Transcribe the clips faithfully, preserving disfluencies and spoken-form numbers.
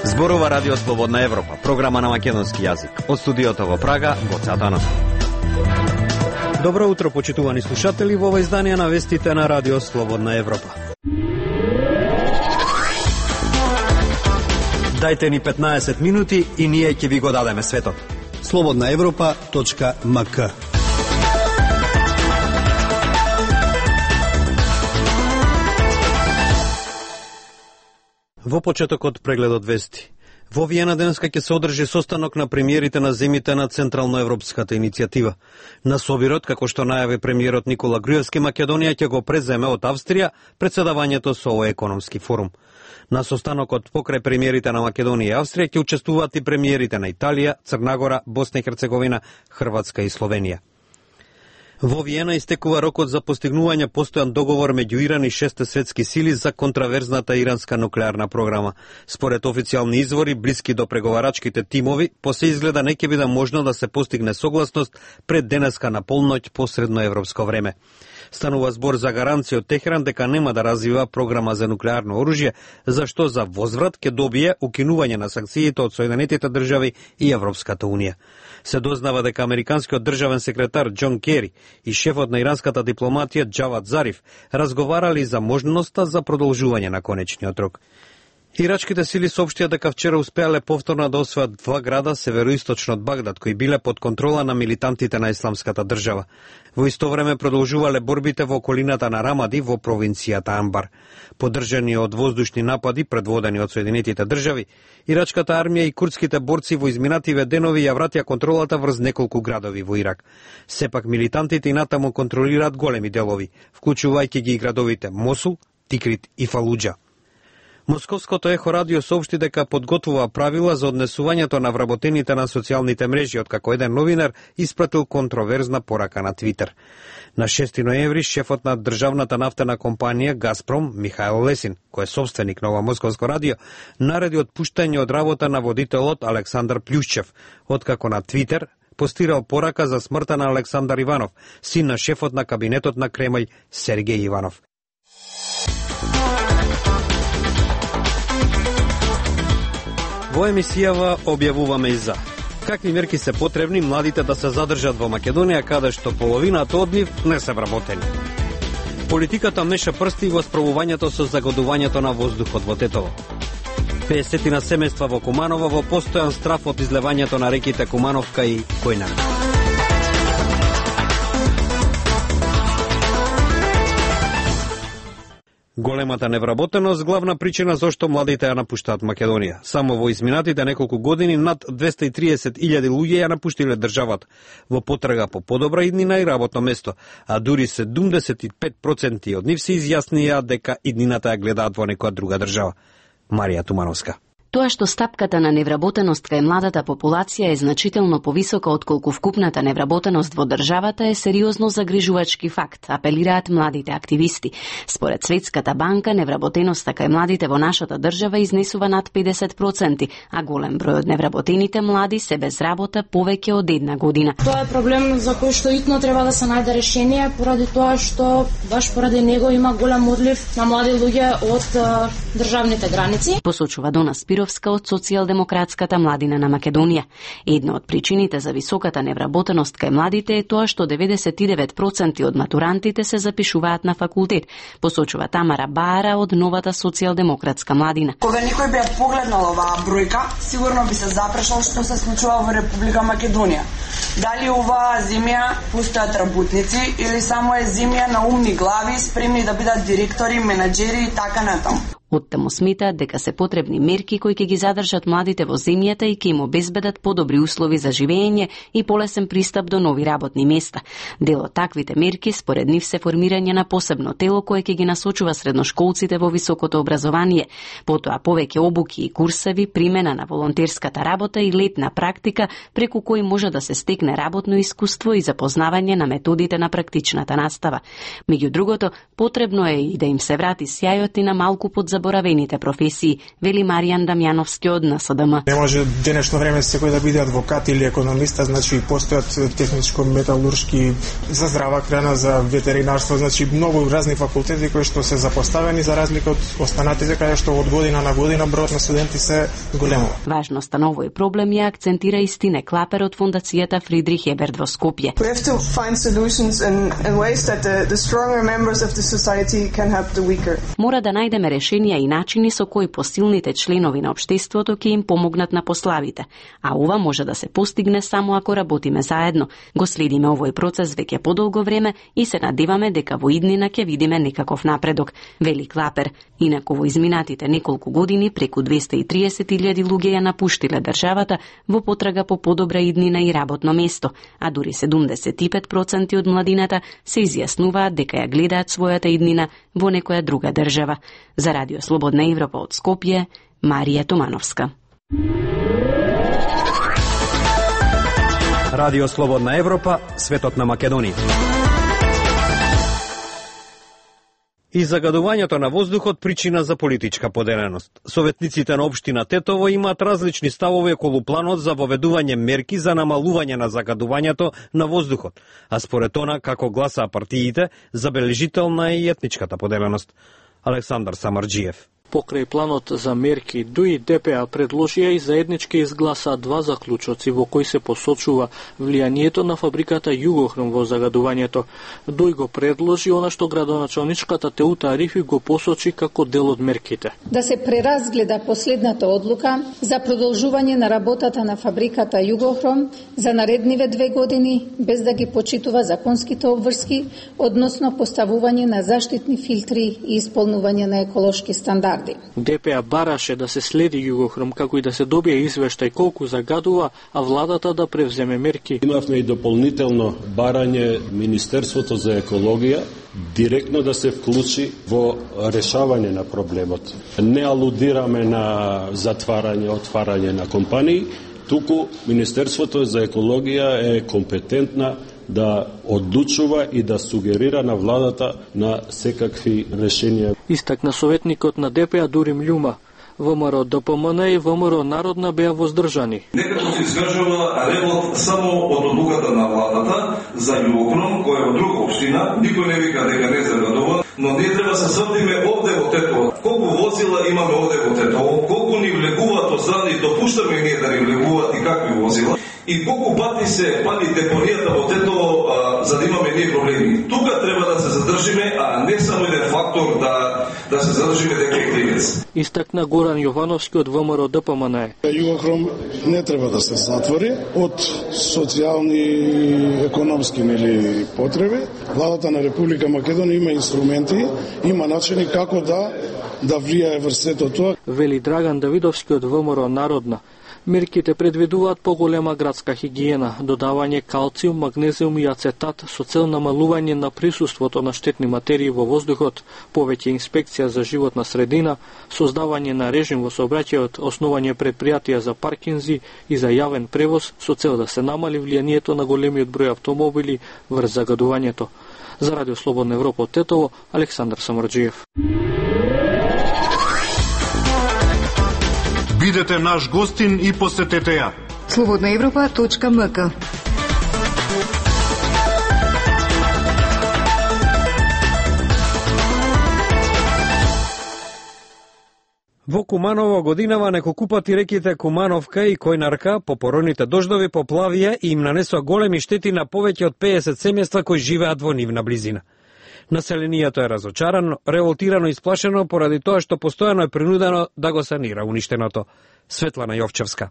Зборува Радио Слободна Европа, програма на македонски јазик. Од студиото во Прага, Гоце Атанасов. Добро утро, почитувани слушатели, во ова издание на вестите на Радио Слободна Европа. Дајте ни петнаесет минути и ние ќе ви го дадеме светот. слободна европа точка ем ка. Во почетокот прегледот вести. Во Виена денеска ќе се одржи состанок на премиерите на земите на Централноевропската иницијатива. На собирот, како што најави премиерот Никола Груевски, Македонија ќе го преземе од Австрија председавањето со овој економски форум. На состанокот покрај премиерите на Македонија и Австрија ќе учествуваат и премиерите на Италија, Црна Гора, Босна и Херцеговина, Хрватска и Словенија. Во Виена истекува рокот за постигнување постојан договор меѓу Иран и шесте светски сили за контраверзната иранска нуклеарна програма. Според официјални извори, блиски до преговарачките тимови, по се изгледа не ќе биде можно да се постигне согласност пред денеска на полноќ по средноевропско време. Станува збор за гаранција од Техеран дека нема да развива програма за нуклеарно оружје, зашто за возврат ќе добие укинување на санкциите од Соединетите држави и Европската унија. Се дознава дека американскиот државен секретар Џон Кери и шефот на иранската дипломатија Џавад Зариф разговарали за можноста за продолжување на конечниот рок. Ирачките сили соопштија дека вчера успеале повторно да освојат два града североисточно од Багдад, кои биле под контрола на милитантите на Исламската држава. Во исто време продолжувале борбите во околината на Рамади во провинцијата Амбар. Поддржани од воздушни напади предводени од Соединетите држави, ирачката армија и курдските борци во изминативе денови ја вратија контролата врз неколку градови во Ирак. Сепак милитантите и натаму контролираат големи делови, вклучувајќи ги и градовите Мосул, Тикрит и Фалуџа. Московското Ехо радио соопшти дека подготвува правила за однесувањето на вработените на социјалните мрежи, откако еден новинар испратил контроверзна порака на Твитер. На шести ноември шефот на државната нафтена компанија Газпром, Михаил Лесин, кој е собственик на ова московско радио, нареди отпуштање од работа на водителот Александар Плјушчев, откако на Твитер постирал порака за смртта на Александар Иванов, син на шефот на кабинетот на Кремљ Сергеј Иванов. Во емисијава објавуваме и за какви мерки се потребни младите да се задржат во Македонија, каде што половината од нив не се вработени. Политиката меша прсти во справувањето со загадувањето на воздухот во Тетово. педесетина семејства во Куманово во постојан страф од излевањето на реките Кумановка и Којнар. Големата невработеност главна причина зошто младите ја напуштаат Македонија. Само во изминатите неколку години над двесте и триесет илјади луѓе ја напуштиле државата во потрага по подобра иднина и работно место, а дури седумдесет и пет проценти од нив се изјаснија дека иднината ја гледаат во некоја друга држава. Марија Тумановска. Тоа што стапката на невработеност кај младата популација е значително повисока отколку вкупната невработеност во државата е сериозно загрижувачки факт, апелираат младите активисти. Според Светската банка, невработеноста кај младите во нашата држава изнесува над педесет проценти, а голем број од невработените млади се без работа повеќе од една година. Тоа е проблем за кој што итно треба да се најде решение, поради тоа што баш поради него има голем одлив на млади луѓе од uh, државните граници. Посочува Дона Спировска од Социјалдемократската младина на Македонија. Една од причините за високата невработеност кај младите е тоа што деветдесет и девет проценти од матурантите се запишуваат на факултет, посочува Тамара Баара од новата Социјалдемократска младина. Кога некој би погледнал оваа бројка, сигурно би се запрашал што се случува во Република Македонија. Дали оваа земја постојат работници или само е земја на умни глави спремни да бидат директори, менаџери и така натаму. Оттаму сметаат дека се потребни мерки кои ќе ги задржат младите во земјата и ќе им обезбедат подобри услови за живење и полесен пристап до нови работни места. Дел од таквите мерки според нив се формирање на посебно тело кое ќе ги насочува средношколците во високото образование, потоа повеќе обуки и курсеви, примена на волонтерската работа и летна практика преку кој може да се стекне работно искуство и запознавање на методите на практичната настава. Меѓу другото, потребно е и да им се врати сјајот и на малку под заборавените професии, вели Маријан Дамјановски од Н С Д М. Не може денешно време секој да биде адвокат или економиста, значи постојат техничко-металуршки, за здрава храна, за ветеринарство, значи многу разни факултети кои што се запоставени за разлика од останатите каде што од година на година бројот на студенти се големува. Важноста на овој проблем ја акцентира и Стине Клапер од фондацијата Фридрих Еберт во Скопје. We have to find solutions in, in ways that the, the stronger members of the society can help the weaker. Мора да најдеме решенија и начини со кои посилните членови на општеството ќе им помогнат на послабите, а ова може да се постигне само ако работиме заедно. Го следиме овој процес веќе подолго време и се надеваме дека во иднина ќе видиме некаков напредок, вели Клапер. Инаку во изминатите неколку години преку двесте и триесет илјади луѓе ја напуштиле државата во потрага по подобра иднина и работно место, а дури седумдесет и пет проценти од младината се изјаснуваат дека ја гледаат својата иднина во некоја друга држава. За Радио Слободна Европа од Скопје, Марија Томановска. Радио Слободна Европа, светот на Македонија. И загадувањето на воздухот причина за политичка поделеност. Советниците на општина Тетово имаат различни ставови околу планот за воведување мерки за намалување на загадувањето на воздухот, а според она како гласаа партиите, забележителна е и етничката поделеност. Александар Самарџиев. Покрај планот за мерки, ДУИ Д П А предложија и заеднички изгласаа два заклучоци во кои се посочува влијанието на фабриката Југохром во загадувањето. ДУИ го предложи она што градоначалничката Теута Арифи го посочи како дел од мерките. Да се преразгледа последната одлука за продолжување на работата на фабриката Југохром за наредниве две години без да ги почитува законските обврски, односно поставување на заштитни филтри и исполнување на еколошки стандарди. Д П А бараше да се следи Југохром, како и да се добие извештај колку загадува, а владата да превземе мерки. Имавме и дополнително барање Министерството за екологија директно да се вклучи во решавање на проблемот. Не алудираме на затварање, отварање на компании, туку Министерството за екологија е компетентна да одлучува и да сугерира на владата на секакви решенија. Истакна советникот на Д П А Дурим Љума. Вэ М Р Д П М Н и Вэ М Р Народна беа воздржани. Некако се искажува ревот само од одлуката на владата за Југохром, која е во друга општина. Никој не вика дека не загадува, но ние треба се срдиме овде во Тетово. Колку возила имаме овде во Тетово, колку ни влегуваат од страни, допуштаме ние да ни влегуваат и какви возила, и колку пати се пали депонијата во Тетово, а, за да имаме ние проблеми. Тука треба да се задржиме, а не само еден фактор да да се задржиме дека е кривец. Истакна Горан Јовановски од Вэ М Р Д П М Н. Југохром не треба да се затвори од социјални, економски нели потреби. Владата на Република Македонија има инструменти, има начини како да да влијае врз сето тоа. Вели Драган Давидовски од Вэ М Р Народна. Мерките предвидуваат поголема градска хигиена, додавање калциум, магнезиум и ацетат со цел намалување на присуството на штетни материи во воздухот, повеќе инспекција за животна средина, создавање на режим во сообраќајот, основање предпријатија за паркинзи и за јавен превоз со цел да се намали влијанието на големиот број автомобили врз загадувањето. За Радио Слободна Европа од Тетово, Александар Самарџиев. Бидете наш гостин и посетете ја. слободна европа точка м к. Во Куманово годинава неколку пати реките Кумановка и Којнарка по пороните дождови поплавија и им нанесоа големи штети на повеќе од педесет семејства кои живеат во нивна близина. Населението е разочарано, револтирано и сплашено поради тоа што постојано е принудено да го санира уништеното. Светлана Јовчевска.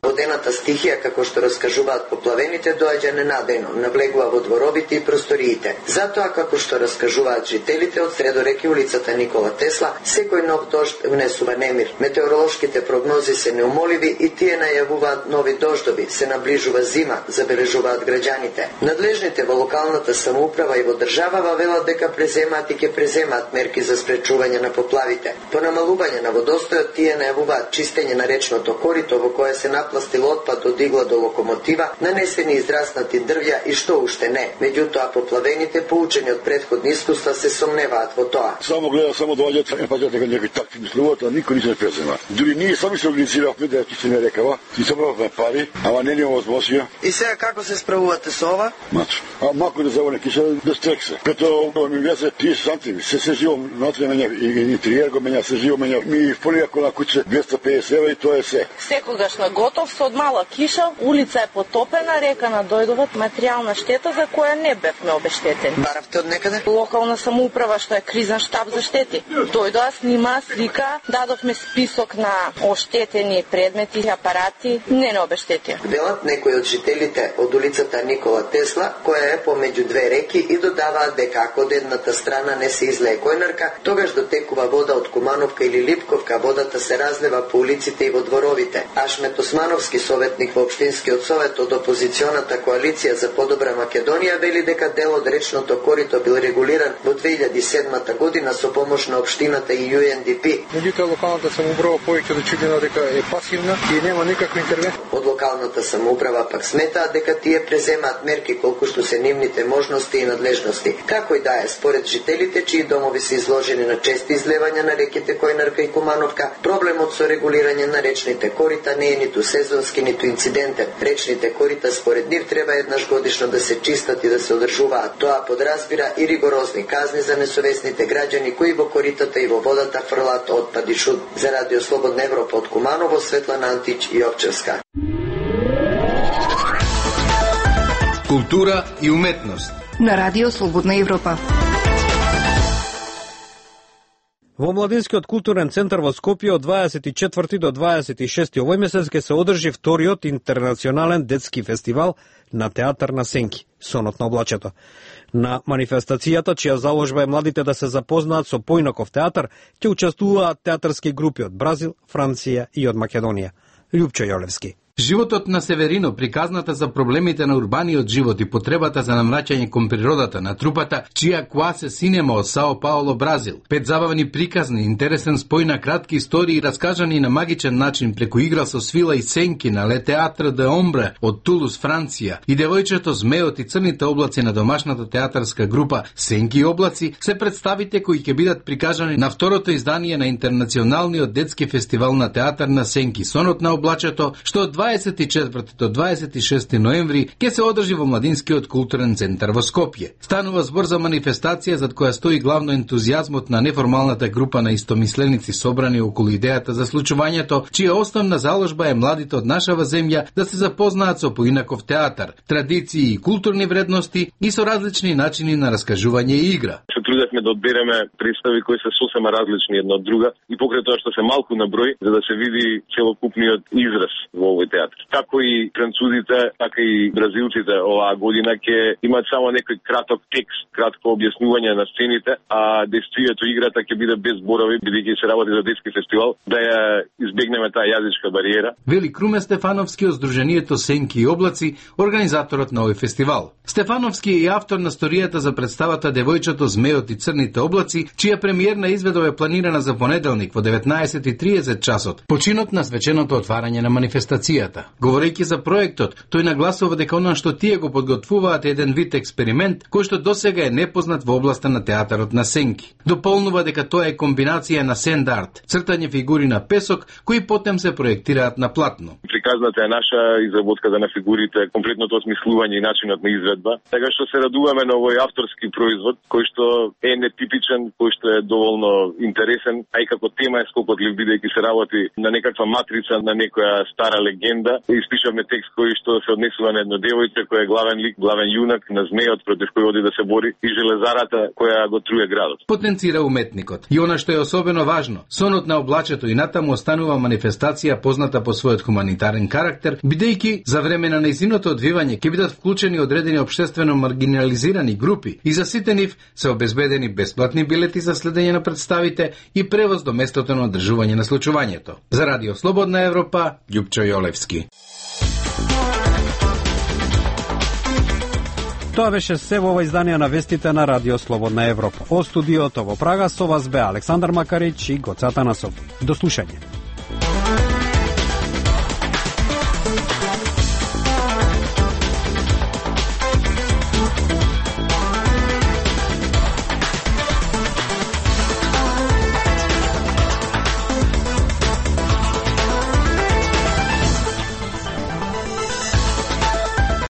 Водената стихија, како што раскажуваат поплавените, доаѓа ненадејно, навлегува во дворовите и просториите. Затоа, како што раскажуваат жителите од средореки улицата Никола Тесла, секој нов дожд внесува немир. Метеоролошките прогнози се неумоливи и тие најавуваат нови дождови, се наближува зима, забележуваат граѓаните. Надлежните во локалната самоуправа и во држава велат дека преземаат и ќе преземаат мерки за спречување на поплавите. По намалување на водостојот тие најавуваат чистење на речното корито во кое се наплива напластил отпад од игла до локомотива, нанесени израснати дрвја и што уште не. Меѓутоа поплавените, поучени од претходни искуства, се сомневаат во тоа. Само гледа, само доаѓаат, е паѓаат дека некои такви мислуваат, а никој не се презема. Дури ние сами се организиравме да ти се не рекава, и собравме пари, ама не ни возможија. И сега како се справувате со ова? Мачо. А мако да завоне киша да стрексе. Прето ми влезе тридесет сантими, се се живам натре мене и интериер го мене, се живам мене. Ми фолија кола куќе двеста педесет евра и тоа е се. Секогаш на готов со од мала киша, улица е потопена, река надојдуват, материјална штета за која не бевме обештетени. Баравте од некаде? Локална самоуправа што е кризен штаб за штети. Дојдоа, снима, слика, дадовме список на оштетени предмети и апарати, не не обештетија. Велат некои од жителите од улицата Никола Тесла, која е помеѓу две реки, и додаваат дека ако од едната страна не се излее којнарка, тогаш дотекува вода од Кумановка или Липковка, водата се разлева по улиците и во дворовите. Ашмет Османовски, советник во Општинскиот совет од опозиционата коалиција за подобра Македонија, вели дека дел од речното корито бил регулиран во две илјади и седма година со помош на општината и Ю Ен Ди Пи. Меѓутоа локалната самоуправа повеќе да чудена дека е пасивна и нема никаква интервенција. Од локалната самоуправа пак сметаат дека тие преземаат мерки колку што се нивните можности и надлежности. Како и да е, според жителите чии домови се изложени на чести излевања на реките Којнарка и Кумановка, проблемот со регулирање на речните корита не е ниту сезонски, ниту инцидентен. Речните корита според нив треба еднаш годишно да се чистат и да се одржуваат. Тоа подразбира и ригорозни казни за несовесните граѓани кои во коритата и во водата фрлаат отпад и шут. За Радио Слободна Европа од Куманово, Светлана Антич и Овчевска. Култура и уметност на Радио Слободна Европа. Во Младинскиот културен центар во Скопје од дваесет и четврти до дваесет и шести овој месец ќе се одржи вториот интернационален детски фестивал на театар на сенки, Сонот на облачето. На манифестацијата, чија заложба е младите да се запознаат со поинаков театар, ќе учествуваат театарски групи од Бразил, Франција и од Македонија. Љупчо Јолевски. Животот на Северино, приказната за проблемите на урбаниот живот и потребата за намраќање кон природата на трупата, чија Куасе Синема од Сао Пауло, Бразил. Пет забавни приказни, интересен спој на кратки истории раскажани на магичен начин преку игра со свила и сенки на Ле Театр де Омбре од Тулус, Франција, и Девојчето, Змеот и Црните облаци на домашната театарска група Сенки и облаци се представите кои ќе бидат прикажани на второто издание на Интернационалниот детски фестивал на театар на сенки, Сонот на облачето, што од дваесет и четврти до дваесет и шести ноември ќе се одржи во Младинскиот културен центар во Скопје. Станува збор за манифестација зад која стои главно ентузијазмот на неформалната група на истомисленици собрани околу идејата за случувањето, чија основна заложба е младите од нашава земја да се запознаат со поинаков театар, традиции и културни вредности и со различни начини на раскажување и игра. Се трудевме да одбереме представи кои се сосема различни една од друга и покрај тоа што се малку на број, за да се види целокупниот израз во овој театар. Како и французите, така и бразилците оваа година ќе имаат само некој краток текст, кратко објаснување на сцените, а действието играта ќе биде без зборови, бидејќи се работи за детски фестивал, да ја избегнеме таа јазичка бариера. Вели Круме Стефановски од Сдруженијето Сенки и облаци, организаторот на овој фестивал. Стефановски е и автор на сторијата за представата Девојчето, Змеот и Црните облаци, чија премиерна изведба е планирана за понеделник во деветнаесет и тридесет часот, починот на свеченото отварање на манифестацијата. Говорејќи за проектот, тој нагласува дека она што тие го подготвуваат е еден вид експеримент кој што досега е непознат во областа на театарот на сенки. Дополнува дека тоа е комбинација на сенд арт, цртање фигури на песок кои потем се проектираат на платно. Приказната е наша, изработката на фигурите, комплетното осмислување и начинот на изведба. Така што се радуваме на овој авторски производ кој што е нетипичен, кој што е доволно интересен, а и како тема е скокотлив, бидејќи се работи на некаква матрица, на некоја стара легенда. Испишавме текст кој што се однесува на едно девојче кој е главен лик, главен јунак, на змеот против кој оди да се бори и железарата која го труе градот. Потенцира уметникот. И она што е особено важно, Сонот на облачето и натаму останува манифестација позната по својот хуманитарен карактер, бидејќи за време на нејзиното одвивање ќе бидат вклучени одредени општествено маргинализирани групи и за сите нив се обезбедени бесплатни билети за следење на представите и превоз до местото на одржување на случувањето. За Радио Слободна Европа, Љупчо Јолевски. Тоа беше се во ова издание на вестите на Радио Слободна Европа. Од студиото во Прага со вас бе Александар Макарич и Гоца Танасов. До слушање.